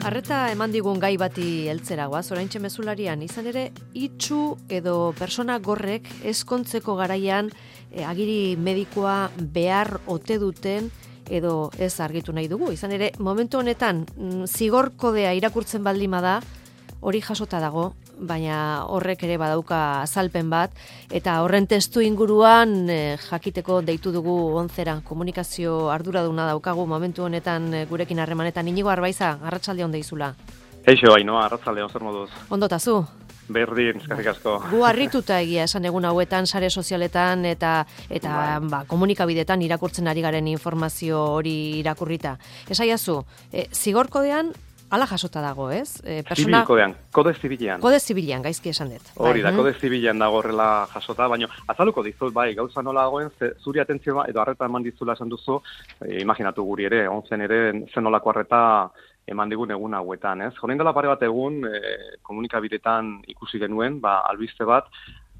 Arreta eman digun gai bati heltzera goaz, oraintxe mezularian, izan ere, itxu edo persona gorrek ezkontzeko garaian agiri medikoa behar ote duten edo ez argitu nahi dugu. Izan ere, momentu honetan, zigor kodea irakurtzen baldin bada, hori jasota dago, baina horrek ere badauka azalpen bat, eta horren testu inguruan jakiteko deitu dugu onzera, komunikazio arduraduna daukagu momentu honetan gurekin harremanetan. Inigo Arbaiza, arratsalde on deizula. Eixo, Ainoa, arratsalde on, zer moduz? Ondo tazu? Berdin, eskerrik asko. Gu harrituta egia esan egun hauetan, sare sozialetan eta komunikabidetan irakurtzen ari garen informazio hori irakurrita. Esaiazu, zigor kodean hala jasota dago, ez? Zibil kodean, kode zibilean. Kode zibilean, gaizki esan dut. Hori da, kode zibilean dago horrela jasota, baina azaluko dizut, bai, gauza nola dagoen, zuri atentzioa edo arreta eman dizula esan duzu, imaginatu guri ere, onzen ere, zen nolako arreta eman digun egun hauetan, ez? Horein dela pare bat egun, komunikabidetan ikusi genuen, albiste bat,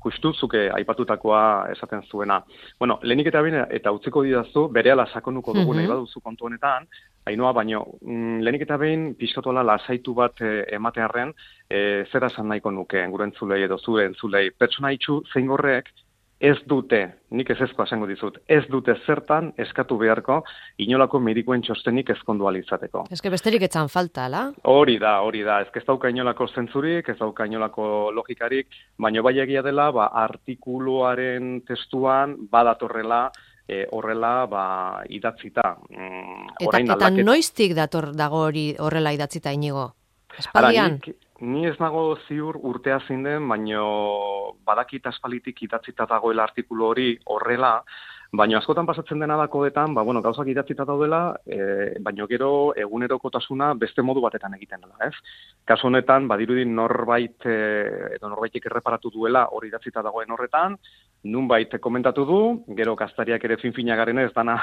justu zuke aipatutakoa esaten zuena. Bueno, lehenik eta utziko didazu, berehala sakonuko dugu nahi baduzu kontu honetan, Ainoa, baino, lehenik eta behin pixkatola lasaitu bat ematearren, zera esan nahiko nuke, gure entzulei edo zure entzulei. Pertsona itxu zein gorrek ez dute, nik ezkoa esango dizut, ez dute zertan eskatu beharko inolako medikuen txostenik ezkondu alizateko. Ez que besterik etzan falta, ala? Hori da, ez dauka inolako zentzurik, ez dauka inolako logikarik, baino bai egia dela, artikuluaren testuan badatorrela, horrela idatzita. Eta noiztik dago hori horrela idatzita, Inigo? Espaldian? Ni ez nago ziur urtea zein den, baino badakit aspalitik idatzita dagoela artikulu hori horrela, baina askotan pasatzen dena da kodetan, gauzak idatzita daudela, baino gero egunerokotasuna beste modu batetan egiten dela, ez? Kasu honetan, badirudin norbaitek erreparatu duela hori idatzita dagoen horretan, nunbait komentatu du, gero gaztariak ere fin-fina garen ez dana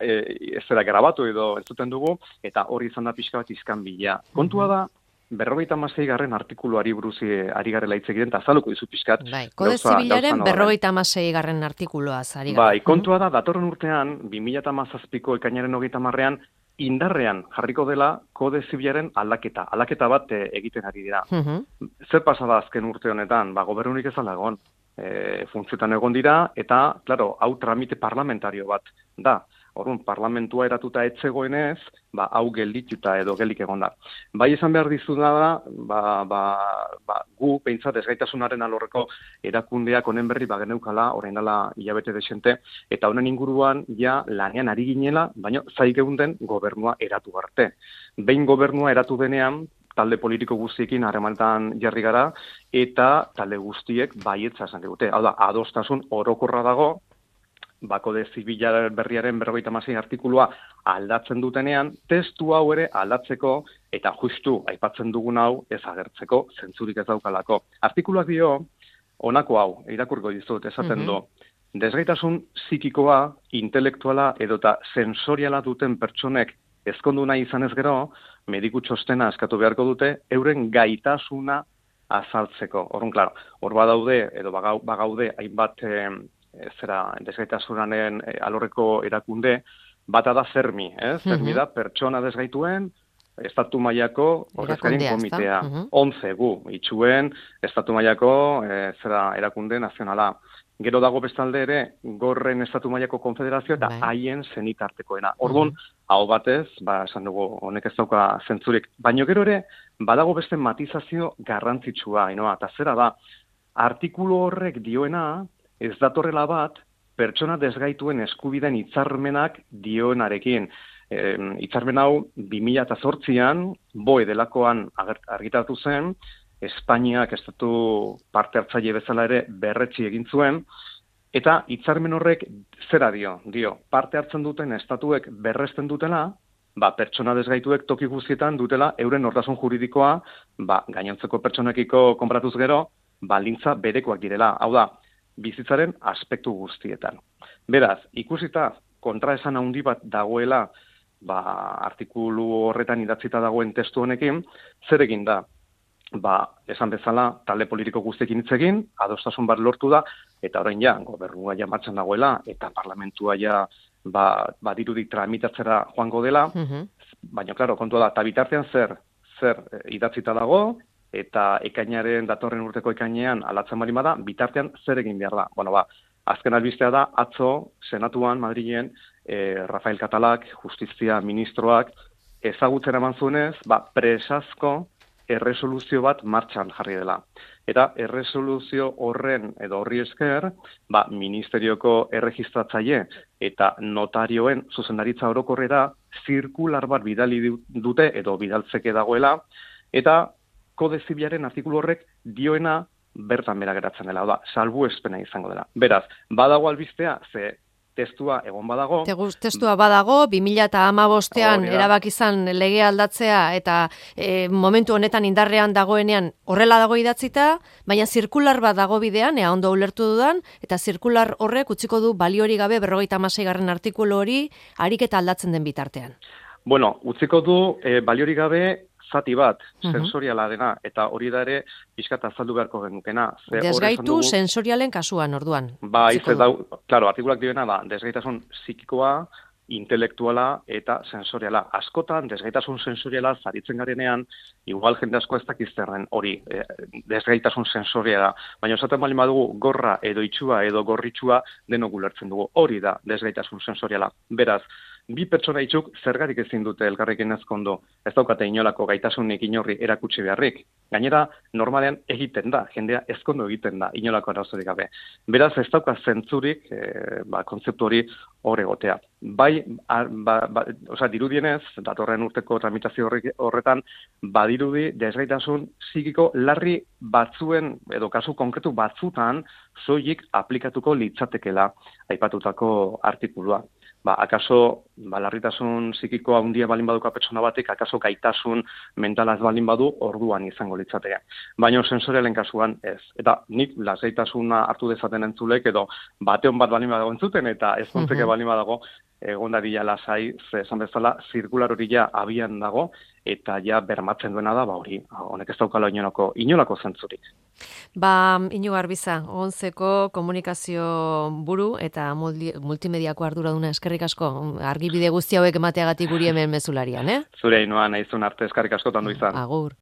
ez zera grabatu edo entzuten dugu, eta hori izan da pixka bat izkan bila. Kontua da, 56. artikuluari buruz ari garela hitz egiten, eta azaluko dizu pixkat. Bai, kode zibilaren 56. artikuluaz ari gara. Bai, kontua da, datorren urtean, 2017ko ekainaren 30ean, indarrean jarriko dela kode zibilaren aldaketa bat egiten ari dira. Zer pasada azken urte honetan? Gobernurik ez alagon. Funtzioetan egon dira, eta, klaro, hau tramite parlamentario bat da. Orduan, parlamentua eratuta etzegoenez, hau geldituta edo gelik egon da. Bai esan behar dizuna da, gu, behintzat, ezgaitasunaren alorreko erakundeak honen berri geneukala, orain dela hilabete desente, eta honen inguruan ja lanean ari ginela, baina zai geunden gobernua eratu arte. Behin gobernua eratu denean, talde politiko guztiekin harremanetan jarri gara, eta talde guztiek baietza esan digute. Hau da, adostasun orokorra dago, kode zibila berriaren 56. artikulua aldatzen dutenean, testu hau ere aldatzeko, eta justu aipatzen dugun hau ez agertzeko, zentzurik ez daukalako. Artikuluak dio, honako hau, irakurko dizut, esaten du, desgaitasun psikikoa, intelektuala edota sensoriala duten pertsonek ezkondu nahi izanez gero, mediku txostena eskatu beharko dute, euren gaitasuna azaltzeko. Orrun, klaro, hor badaude, edo bagaude, hainbat desgaitasunaren alorreko erakunde, bata da Zermi, Zermi da pertsona desgaituen, estatu mailako ordezkarien komitea. 11 gu, itxuen, estatu mailako erakunde nazionala. Gero dago bestalde ere, gorren estatu mailako konfederazio eta haien zenitartekoena. Orduan, hau batez, esan dugu, honek ez dauka zentzurik. Baina gero ere, badago beste matizazio garrantzitsua, eta zera da, artikulu horrek dioena, ez datorrela bat, pertsona desgaituen eskubideen hitzarmenak dioenarekin. Hitzarmen hau 2008an, BOE delakoan argitaratu zen, Espainiak estatu parte hartzaile bezala ere berretsi egin zuen, eta hitzarmen horrek zera dio, parte hartzen duten estatuek berresten dutela, pertsona desgaituek toki guztietan dutela euren nortasun juridikoa, gainontzeko pertsonekiko konparatuz gero, baldintza berekoak direla. Hau da, bizitzaren aspektu guztietan. Beraz, ikusita kontraesan handi bat dagoela, artikulu horretan idatzita dagoen testu honekin, zer egin da? Esan bezala, talde politiko guztiekin hitz egin, adostasun bat lortu da, eta orain ja, gobernua ja martxan dagoela, eta parlamentua ja dirudik tramitatzera joango dela, baina, klaro, kontua da, eta bitartean zer idatzita dago, eta datorren urteko ekainean alatzen bali bada, bitartean zer egin behar da. Bueno, azken albistea da, atzo, Senatuan, Madrilen, Rafael Catalak, Justizia Ministroak, ezagutzen eman zuenez, presazko erresoluzio bat martxan jarri dela. Eta erresoluzio horri esker, ministerioko erregistratzaile eta notarioen zuzendaritza orokorrera zirkular bat bidali dute edo bidaltzeke dagoela, eta kode zibilaren artikulu horrek dioena bertan bera geratzen dela, salbuespena izango dela. Beraz, badago albistea, ze testua egon badago. Testua badago, 2015an erabaki izan lege aldatzea eta momentu honetan indarrean dagoenean horrela dago idatzita, baina zirkular bat dago bidean, ea ondo ulertu dudan, eta zirkular horrek utziko du baliori gabe 56. artikulu hori ariketa aldatzen den bitartean. Bueno, utziko du baliori gabe zati bat, sensoriala dena, eta hori da ere pixkat azaldu beharko genukena. Desgaitu sensorialen kasuan, orduan. Claro, artikulak dioena da, desgaitasun psikikoa, intelektuala eta sensoriala. Askotan, desgaitasun sensoriala zaritzen garenean, igual jende asko ez dakizterren hori, desgaitasun sensoriala. Baina esaten bali badugu gorra edo itxua edo gorritxua denok ulertzen dugu. Hori da desgaitasun sensoriala. Beraz, bi pertsona itxuk zergarik ezin dute elkarrekin ezkondo, ez daukate inolako gaitasunik inorri erakutsi beharrik. Gainera, normalean egiten da, jendea ezkondo egiten da, inolako arazorik gabe. Beraz, ez dauka zentzurik, kontzeptu hori hor egotea. Dirudienez, datorren urteko tramitazio horretan, badirudi desgaitasun psikiko larri batzuen, edo kasu konkretu batzutan, soilik aplikatuko litzatekela aipatutako artikulua. Akaso, larritasun psikikoa handia balin baduka pertsona batek, akaso gaitasun mentalaz balin badu, orduan izango litzateke. Baina sensorialen kasuan ez. Eta nik lasaitasuna hartu dezaten entzulek, edo bateon bat balin badago entzuten, eta ez kontzeke balin badago, egon dadila lasai, esan bezala, zirkular hori ja abian dago, eta ja bermatzen duena da, hori, honek ez daukala inolako zentzurik. Iñigo Arbiza, Onzeko komunikazio buru eta multimediako arduraduna, eskerrik asko, argibide guzti hauek emateagatik guri hemen mezularian, Zure inoan, naizun arte eskerrik asko tandu izan. Agur.